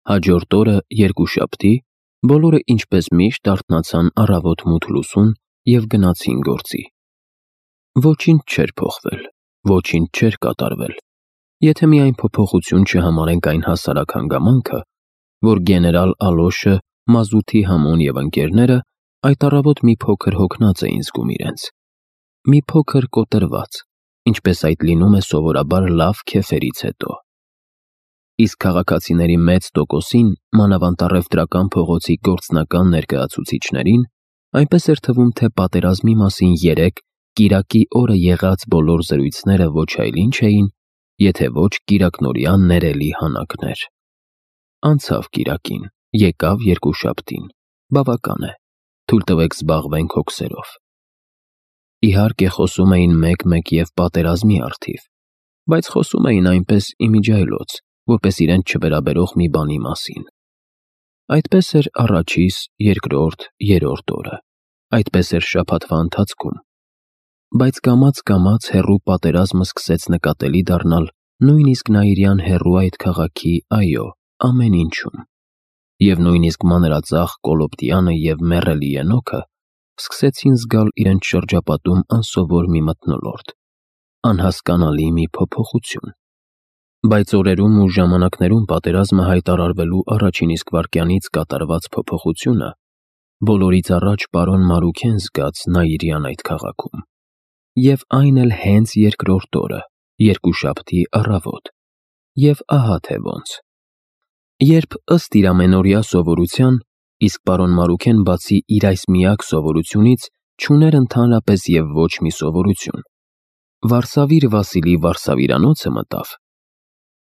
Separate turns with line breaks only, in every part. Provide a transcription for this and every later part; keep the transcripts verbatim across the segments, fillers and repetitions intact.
Հաջորդ օրը երկուշաբթի բոլորը ինչպես միշտ արթնացան առավոտ մութ լուսուն և գնացին գործի։ Ոչինչ չէր փոխվել, ոչինչ չէր կատարվել, եթե միայն փոփոխություն չհամարենք այն հասարակ հանգամանքը, որ գեներալ Ալոշը, Մազութի Համոն և ընկերները այդ առավոտ մի փոքր հոգնած էին զգում իրենց, մի փոքր կոտրված, ինչպես այդ լինում է սովորաբար լավ քեֆերից հետո։ Իսկ քաղաքացիների մեծ տոկոսին, մանավանդ առևտրական փողոցի գործնական ներկայացուցիչներին, այնպես էր թվում, թե պատերազմի մասին երեկ կիրակի օրը եղած բոլոր զրույցները ոչ այլ ինչ էին, եթե ոչ կիրակնօրյա ներելի հանակներ։ Անցավ կիրակին, եկավ երկուշաբթին, բավական է, թույլ տվեք զբաղվենք հոգսերով։ Իհարկե խոսում էին մեկ-մեկ և պատերազմի առթիվ, բայց խոսում էին այնպես իմիջիայլոց, որպես իրենց չվերաբերող մի բանի մասին։ Այդպես էր առաջիս, երկրորդ, երրորդ օրը, այդպես էր շաբաթվա ընթացքում։ Բայց կամաց-կամաց հեռու պատերազմը սկսեց նկատելի դառնալ նույնիսկ Նաիրյան հեռու այդ քաղաքի, այո, ամեն ինչում, և նույնիսկ մանրածախ Կոլոբդյանը և մեռելի Ենոքը սկսեցին զգալ իրենց շրջապատում անսովոր մի մթնոլորտ, անհասկանալի մի փոփոխություն։ Բայց օրերում ու ժամանակներում պատերազմը հայտարարվելու առաջին իսկ վայրկյանից կատարված փոփոխությունը բոլորից առաջ պարոն Մարուքեն զգաց Նաիրյան այդ քաղաքում, և այն էլ հենց երկրորդ օրը, երկուշաբթի առավոտ, և ահա թե ոնց։ Երբ ըստ իր ամենօրյա սովորության, իսկ պարոն Մարուքեն բացի իր այս միակ սովորությունից չուներ ընդհանրապես և ոչ մի սովորություն, Վարսավիր Վասիլի վարսավիրանոցը մտավ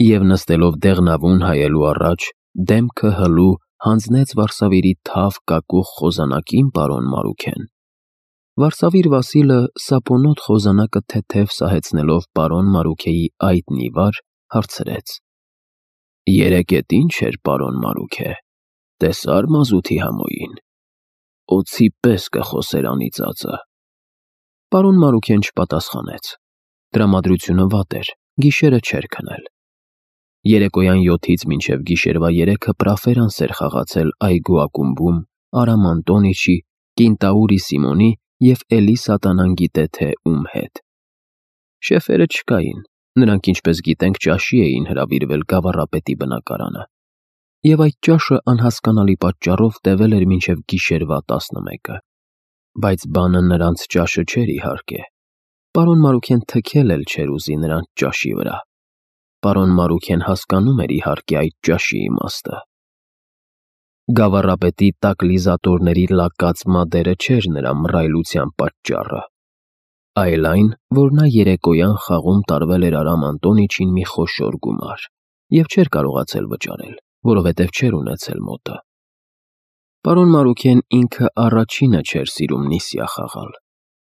և նստելով դեղնավուն հայելու առաջ, դեմքը հլու հանձնեց Վարսավիրի թավ կակուղ խոզանակին պարոն Մարուքեն։ Վարսավիր Վասիլը սապոնոտ խոզանակը թեթև սահեցնելով պարոն Մարուքեի այտն ի վար, հարցրեց. «Երեկ էդ ի՞նչ էր, պարոն Մարուքե, տեսա՞ր Մազութի Համոյին, օձի պես կխոսեր անիծածը»։ Պարոն Մարուքեն չպատասխանեց։ Տրամադրությունը վատ էր, գիշերը չէր քնել։ Երեկոյան յոթից մինչև գիշերվա երեքը պրաֆերանս էր խաղացել այգու ակումբում Արամ Անտոնիչի, Կինտաուրի Սիմոնի և էլի սատանան գիտե թե ում հետ։ Շեֆերը չկային, նրանք, ինչպես գիտենք, ճաշի էին հրավիրվել Գավառապետի բնակարանը, և այդ ճաշը անհասկանալի պատճառով տևել էր մինչև գիշերվա տասնմեկը։ Բայց բանը նրանց ճաշը չէր, իհարկե։ Պարոն Մարուքեն թքել էլ չէր ուզի նրանց ճաշի վրա։ Պարոն Մարուքեն հասկանում էր, իհարկե, այդ ճաշի իմաստը։ Գավառապետի տակլիզատորների լակած մադերը չէր նրա մռայլության պատճառը, այլ այն, որ նա երեկոյան խաղում տարվել էր Արամ Անտոնիչին մի խոշոր գումար և չէր կարողացել վճարել, որովհետև չէր ունեցել մոտը։ Պարոն Մարուքեն ինքը առաջինը չէր սիրում նիսյա խաղալ,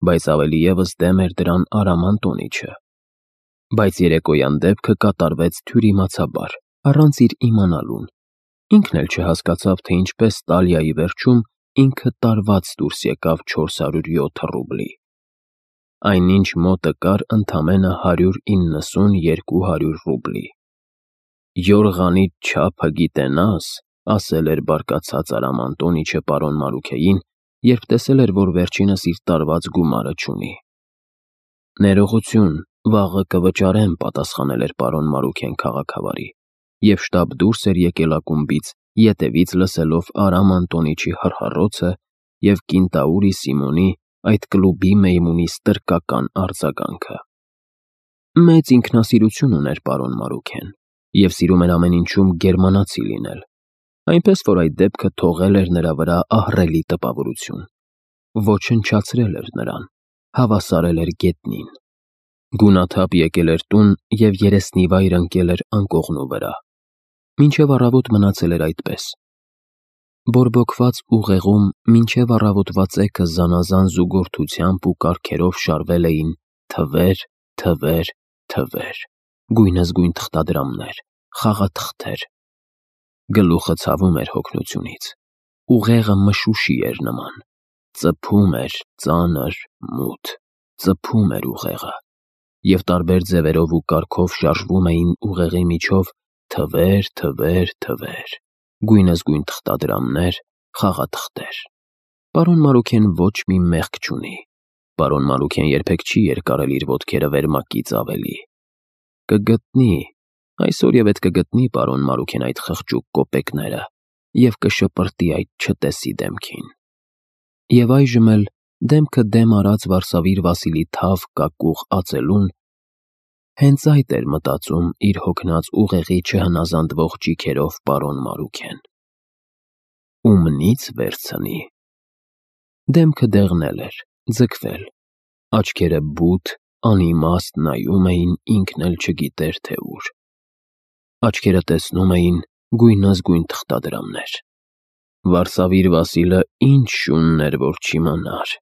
բայց ավելի ևս դեմ էր դրան Արամ Անտոնիչը։ Բայց երեկոյան դեպքը կատարվեց թյուրիմացաբար, առանց իր իմանալուն։ Ինքն էլ չհասկացավ, թե ինչպես տալիայի վերջում ինքը տարված դուրս եկավ չորս հարյուր յոթ ռուբլի։ Այնինչ մոտը կար ընդամենը հարյուր իննսուն երկու հարյուր ռուբլի։ «Յորղանիդ չափը գիտենաս», ասել էր բարկացած Արամ Անտոնիչը պարոն Մարուքեին, երբ տեսել էր, որ վերջինս իր տարված գումարը չունի։ «Ներողություն, վաղը կվճարեմ», պատասխանել էր պարոն Մարուքեն քաղաքավարի, և շտապ դուրս էր եկել ակումբից, ետևից լսելով Արամ Անտոնիչի հռհռոցը և Կինտաուրի Սիմոնի, այդ կլուբի մեյմունի ստրկական արձագանքը։ Մեծ ինքնասիրություն ուներ պարոն Մարուքեն և սիրում էր ամեն ինչում գերմանացի լինել, այնպես որ այդ դեպքը թողել էր նրա վրա ահռելի տպավորություն, ոչնչացրել էր նրան, հավասարել էր գետնին։ Գունաթափ եկել էր տուն և երեսնիվայր ընկել էր անկողնու վրա։ Մինչև առավոտ մնացել էր այդպես։ Բորբոքված ուղեղում մինչև առավոտվա ծեքը զանազան զուգորդությամբ ու կարգերով շարվել էին թվեր, թվեր, թվեր, գույնզգույն թղթադրամներ, խաղաթղթեր։ Գլուխը ցավում էր հոգնությունից, ուղեղը մշուշի էր նման, ծփում էր ծանր, մութ, ծփում էր ուղեղը, և տարբեր ձևերով ու կարգով շարժվում էին ուղեղի միջով թվեր, թվեր, թվեր։ գույնզգույն թղթադրամներ, խաղաթղթեր։ Պարոն Մարուքեն ոչ մի մեղք չունի։ Պարոն Մարուքեն երբեք չի երկարել իր ոտքերը վերմակից ավելի։ Կգտնի, այսօր և էդ կգտնի պարոն Մարուքեն այդ խղճուկ կոպեկները և կշպրտի այդ չտեսի դեմքին։ Եվ այժմ էլ դեմքը դեմ արած Վարսավիր Վասիլի թավ կակուղ ածելուն հենց այդ էր մտածում իր հոգնած ուղեղի չհնազանդվող ճիգերով պարոն Մարուքեն։ Ումնից վերցնի։ Դեմքը դեղնել էր, ձգվել, աչքերը բութ, անիմաստ նայում էին ինքն էլ չգիտեր թե ուր։ Աչքերը տեսնում էին գույնզգույն թղթադրամներ։ Վարսավիր Վասիլը ինչ շունն էր, որ չիմանար։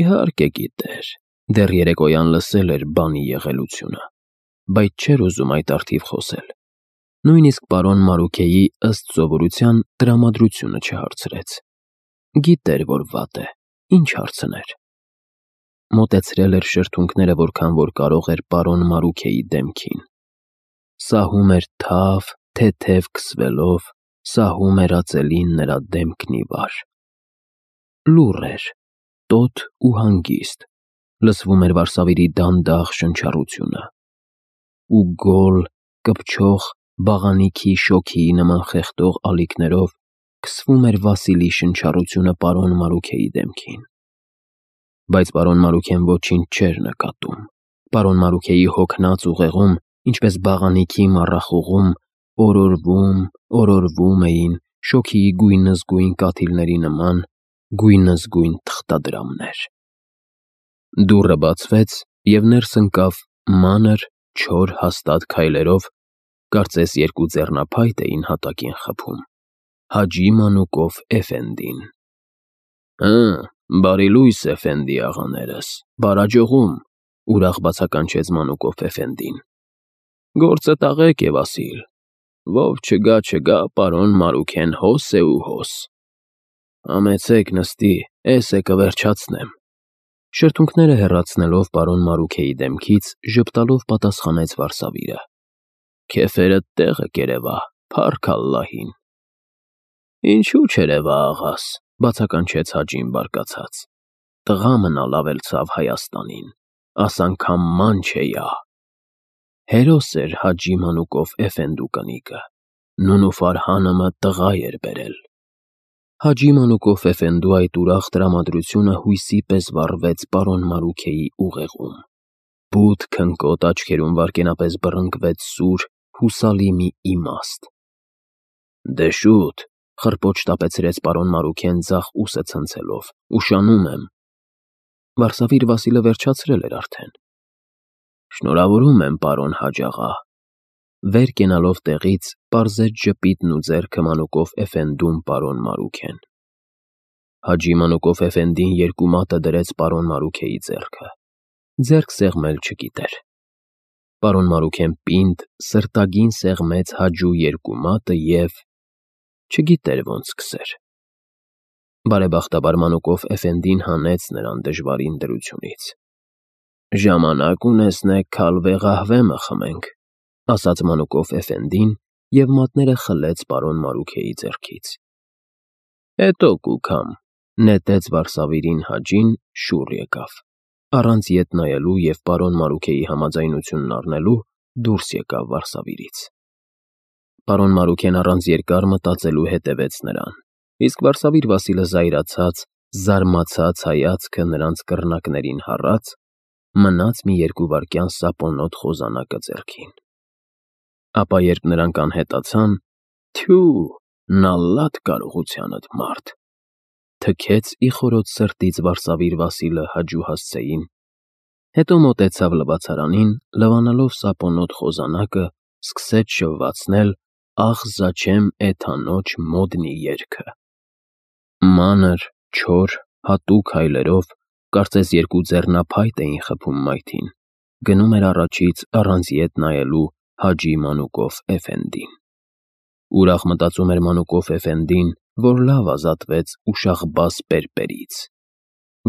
Իհարկե գիտեր, դեռ երեկոյան լսել էր բանի եղելությունը, բայց չէր ուզում այդ առթիվ խոսել։ Նույնիսկ պարոն Մարուքեի ըստ սովորության տրամադրությունը չհարցրեց։ Գիտեր, որ վատ է, ինչ հարցներ։ Մոտեցրել էր շրթունքները որքան որ կարող էր պարոն Մարուքեի դեմքին։ Սահում էր թավ, թեթև քսվելով, սահում էր ածելին նրա դեմքն ի վար։ Լուռ էր, տոտ ու հանգիստ, լսվում էր Վարսավիրի դանդաղ շնչառությունը։ Ու գոլ, կպչող, բաղանիքի շոգիի նման խեղդող ալիքներով քսվում էր Վասիլի շնչառությունը պարոն Մարուքեի դեմքին։ Բայց պարոն Մարուքեն ոչինչ չէր նկատում։ Պարոն Մարուքեի հոգնած ուղեղում, ինչպես բաղանիքի մառախուղում, օրորվում, օրորվում էին շոգիի գույնզգույն կաթիլների նման գույնզգույն թղթադրամներ։ Դուռը բացվեց, և ներս ընկավ մանր, չոր, հաստատ քայլերով, կարծես երկու ձեռնափայտ էին հատակին խփում, Հաջի Մանուկով էֆենդին։ «Հը, բարի լույս, էֆենդի աղաներս, բարաջողում», ուրախ բացականչեց Մանուկով էֆենդին։ «Գործը տաղեկ է, Վասիլ, ով չգա, չգա, պարոն Մարուքեն հոս է ու հոս։ Համեցեք նստի, էս է կվերջացնեմ»։ Շրթունքները հեռացնելով պարոն Մարուքեի դեմքից, ժպտալով պատասխանեց Վարսավիրը։ «Քեֆերդ տեղը կերևա, փառք Ալլահին»։ «Ինչու չերևա, աղաս», բացականչեց Հաջին բարկացած։ «Տղա մնալ ավելցավ Հայաստանին, աս անգամ ման չէյա»։ Հերոս էր Հաջի Մանուկով էֆենդու կնիկը, նուն ու Ֆարհանըմը տղա էր բերել։ Հաջի Մանուկով էֆենդու այդ ուրախ տրամադրությունը հույսի պես վառվեց պարոն Մարուքեի ուղեղում։ Բութ քնկոտ աչքերում վայրկենապես բռնկվեց սուր, հուսալի մի իմաստ։ «Դե շուտ», խռպոչ տապեցրեց պարոն Մարուքեն ձախ ուսը ցնցելով, «ուշանում եմ»։ Վարսավիր Վասիլը վերջացրել էր արդեն։ «Շնորհավորում եմ, պարոն Հաջ աղա»։ Վեր կենալով տեղից, պարզեց ժպիտն ու ձեռքը Մանուկով էֆենդուն պարոն Մարուքեն։ Հաջի Մանուկով էֆենդին երկու մատը դրեց պարոն Մարուքեի ձեռքը։ Ձեռք սեղմել չգիտեր։ Պարոն Մարուքեն պինդ, սրտագին սեղմեց Հաջու երկու մատը և չգիտեր ոնց սկսեր։ Բարեբախտաբար Մանուկով էֆենդին հանեց նրան դժվարին դրությունից։ «Ժամանակ ունեցնեք քալվե ղահվեմը խմենք», ասաց Մանուկով էֆենդին և մատները խլեց պարոն Մարուքեի ձեռքից։ «Հետո կուքամ», նետեց Վարսավիրին Հաջին, շուռ եկավ։ Առանց ետ նայելու և պարոն Մարուքեի համաձայնությունն առնելու դուրս եկավ Վարսավիրից։ Պարոն Մարուքեն առանց երկար մտածելու հետևեց նրան, իսկ Վարսավիր Վասիլը զայրացած, զարմացած հայացքը նրանց կռնակներին հառած, մնաց մի երկու վայրկյան սապոնոտ խոզանակը ձեռքին։ Ապա երբ նրանք անհետացան, «Թյու, նալլատ կարողությանդ, մարդ», թքեց ի խորոց սրտից Վարսավիր Վասիլը Հաջու հասցեին, հետո մոտեցավ լվացարանին, լվանալով սապոնոտ խոզանակը, սկսեց շվվացնել «Ախ զաչեմ էթանոչ մոդնի» երգը։ Մանր, չոր, հատուկ հայլերով, կարծես երկու ձեռնափայտ էին խփում մայթին, գնում էր առաջից առանց ետ նայելու Հաջի Մանուկով էֆենդին։ Ուրախ մտածում էր Մանուկով էֆենդին, որ լավ ազատվեց ուշաղբաս պերպերից։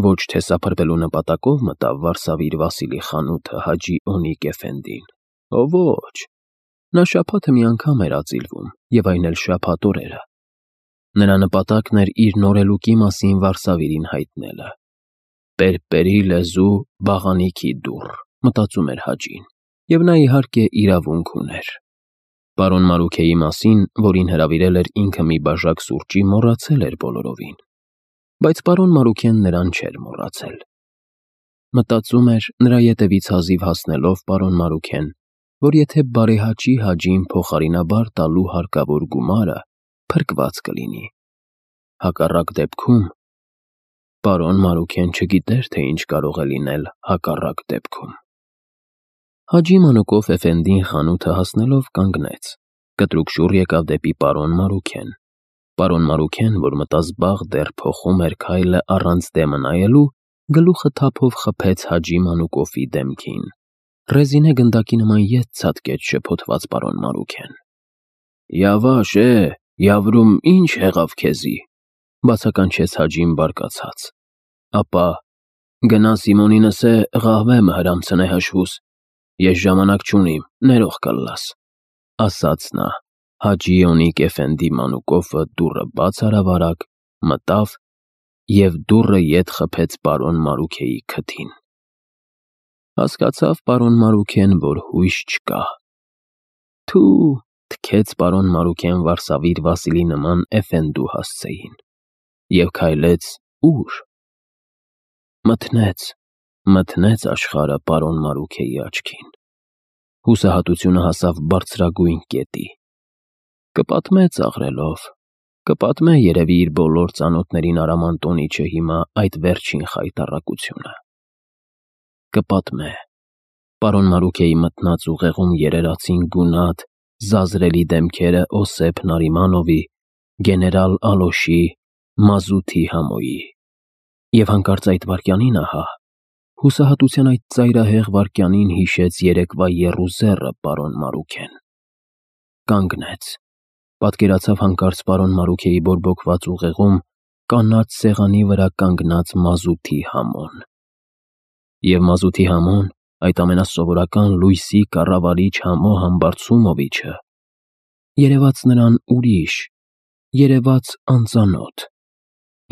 Ոչ թե սափրվելու նպատակով մտավ Վարսավիր Վասիլի խանութը Հաջի Օնիկ էֆենդին, ո ոչ, նա շաբաթը մի անգամ էր ածիլվում, և այն էլ շաբաթ օրերը, Նրա նպատակն էր իր նորելուկի մասին Վարսավիրին հայտնելը։ «Պերպերի լեզու, բաղանիքի դուռ», մտածում էր Հաջին, և նա իհարկե իրավունք ուներ։ Պարոն Մարուքեի մասին, որին հրավիրել էր ինքը մի բաժակ սուրճի, մոռացել էր բոլորովին, բայց պարոն Մարուքեն նրան չէր մոռացել։ Մտածում էր նրա ետևից հազիվ հասնելով պարոն Մարուքեն, որ եթե բարեհաճի Հաջին փոխարինաբար տալու հարկավոր գումարը, փրկված կլինի։ Հակառակ դեպքում… Պարոն Մարուքեն չգիտեր, թե ինչ կարող է լինել հակառակ դեպքում։ Հաջի Մանուկով էֆենդին խանութը հասնելով կանգնեց, կտրուկ շուռ եկավ դեպի պարոն Մարուքեն։ Պարոն Մարուքեն, որ մտազբաղ դեռ փոխում էր քայլը առանց դեմը նայելու, գլուխը թափով խփեց Հաջի Մանուկովի դեմքին։ Ռեզինե գնդակի նման ետ ցատկեց շփոթված պարոն Մարուքեն։ «Yavaş է, Yavrում, ինչ եղավ քեզի», բացականչեց Հաջին բարկացած։ «Ապա գնա Սիմոնինս է ղահվեմը հրամցնե հաշվուս, ես ժամանակ չունիմ, ներող կըլլաս», ասաց նա։ Հաջի Օնիկ էֆենդի Մանուկովը դուռը բաց արավ արագ, մտավ և դուռը ետ խփեց պարոն Մարուքեի քթին։ Հասկացավ պարոն Մարուքեն, որ հույս չկա։ «Թու», թքեց պարոն Մարուքեն Վարսավիր Վասիլի նման էֆենդու հասցեին և քայլեց ո՞ւր։ Մթնեց, մթնեց աշխարհը պարոն Մարուքեի աչքին։ Հուսահատությունը հասավ բարձրագույն կետի։ Կպատմե ծաղրելով, կպատմե երևի իր բոլոր ծանոթներին Արամ Անտոնիչը հիմա այդ վերջին խայտառակությունը։ Կպատմե… Պարոն Մարուքեի մթնած ուղեղում երերացին գունատ, զազրելի դեմքերը Օսեփ Նարիմանովի, գեներալ Ալոշի, Մազութի Համոյի։ Եվ հանկարծ այդ վայրկյանին ահա, հուսահատության այդ ծայրահեղ վայրկյանին հիշեց երեկվա եռուզեռը պարոն Մարուքեն։ Կանգնեց, պատկերացավ հանկարծ պարոն Մարուքեի բորբոքված ուղեղում կանաչ սեղանի վրա կանգնած Մազութի Համոն։ Եվ Մազութի Համոն, այդ ամենասովորական լույսի կառավարիչ Համո Համբարձումովիչը, երևաց նրան ուրիշ, երևաց անծանոթ,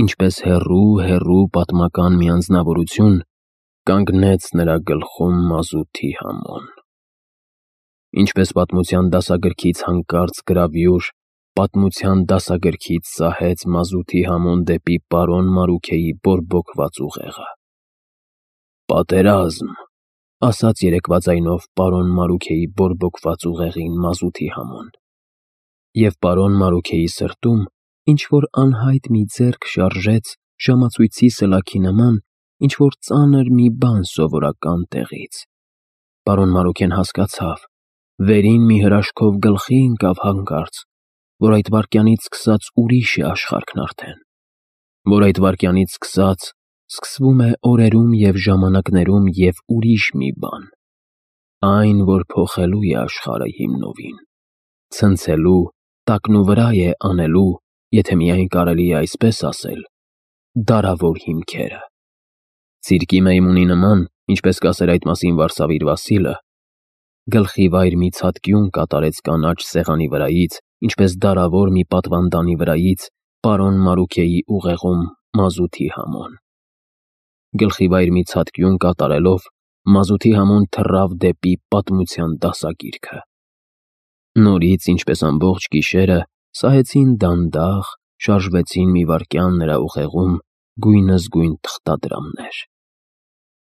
ինչպես հեռու, հեռու պատմական մի անձնավորություն, կանգնեց նրա գլխում Մազութի Համոն։ Ինչպես պատմության դասագրքից հանկարծ գրավյուր, պատմության դասագրքից սահեց Մազութի Համոն դեպի պարոն Մարուքեի բորբոքված ուղեղը։ «Պատերազմ», ասաց երեկվա ձայնով պարոն Մարուքեի բորբոքված ուղեղին Մազութի Համոն։ Եվ պարոն Մարուքեի սրտում ինչ-որ անհայտ մի ձեռք շարժեց ժամացույցի սլաքի նման ինչ-որ ծանր մի բան սովորական տեղից։ Պարոն Մարուքեն հասկացավ, վերին մի հրաշքով գլխի ընկավ հանկարծ, որ այդ վայրկյանից սկսած ուրիշ է աշխարհն արդեն, որ այդ վայրկյանից սկսած սկսվում է օրերում և ժամանակներում և ուրիշ մի բան, այն, որ փոխելու է աշխարհը հիմնովին, ցնցելու, տակնուվրա է անելու, եթե միայն կարելի է այսպես ասել, դարավոր հիմքերը։ Ցիրկի մեյմունի նման, ինչպես կասեր այդ մասին Վարսավիր Վասիլը, գլխի վայր մի ցատկյուն կատարեց կանաչ սեղանի վրայից, ինչպես դարավոր մի պատվանդանի վրայից, պարոն Մարուքեի ուղեղում Մազութի Համոն։ Գլխի վայր մի ցատկյուն կատարելով, Մազութի Համոն թռավ դեպի պատմության դասագիրքը։ Նորից, ինչպես ամբողջ գիշերը, սահեցին դանդաղ, շարժվեցին մի վայրկյան նրա ուղեղում գույնզգույն թղթադրամներ։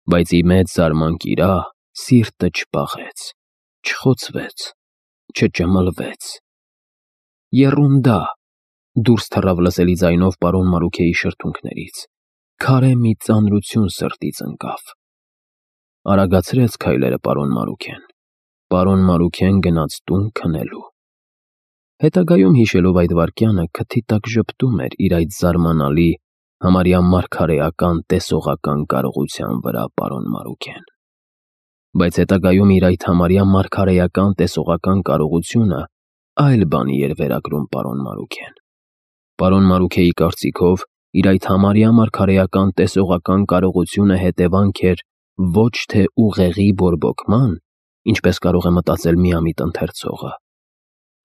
Բայց ի մեծ զարմանք իրա, սիրտը չպաղեց, չխոցվեց, չճմլվեց։ «Եռունդա», դուրս թռավ լսելի ձայնով պարոն Մարուքեի շրթունքներից, քարե մի ծանրություն սրտից ընկավ։ Արագացրեց քայլերը պարոն Մարուքեն։ Պարոն Մարուքեն գնաց տուն քնելու։ Հետագայում հիշելով այդ վայրկյանը քթի տակ ժպտում էր իր այդ զարմանալի, համարյա մարգարեական տեսողական կարողության վրա պարոն Մարուքեն։ Բայց հետագայում իր այդ համարյա մարգարեական տեսողական կարողությունը այլ բանի էր վերագրում պարոն Մարուքեն։ Պարոն Մարուքեի կարծիքով իր այդ համարյա մարգարեական տեսողական կարողությունը հետևանք էր ոչ թե ուղեղի բորբոքման, ինչպես կարող է մտածել միամիտ ընթերցողը,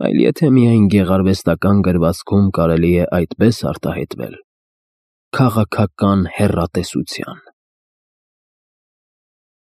այլ եթե միայն գեղարվեստական գրվածքում կարելի է այդպես արտահայտվել՝ քաղաքական հեռատեսության։